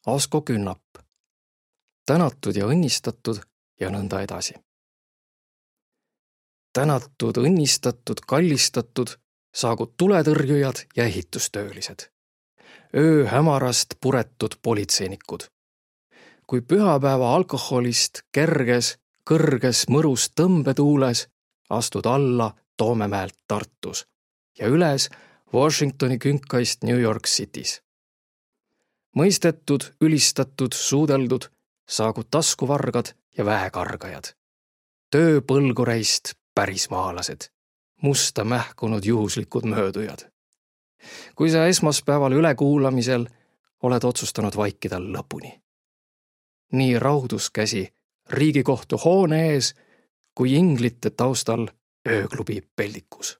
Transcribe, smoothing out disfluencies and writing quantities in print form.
Asko Künnap. Tänatud ja õnnistatud ja nõnda edasi. Tänatud, õnnistatud, kallistatud saagu tuletõrjujad ja ehitustöölised. Öö hämarast puretud politseinikud. Kui pühapäeva alkoholist kerges, kõrges mõrus tõmbetuules astud alla Toomemäelt Tartus ja üles Washingtoni künkaist New York City's. Mõistetud, ülistatud, suudeldud saagu taskuvargad ja väekargajad. Tööpõlgureist pärismaalased, musta mähkunud juhuslikud möödujad. Kui sa esmaspäeval ülekuulamisel oled otsustanud vaikida lõpuni. Nii raudus käsi Riigikohtu hoone ees kui inglite taustal ööklubi peldikus.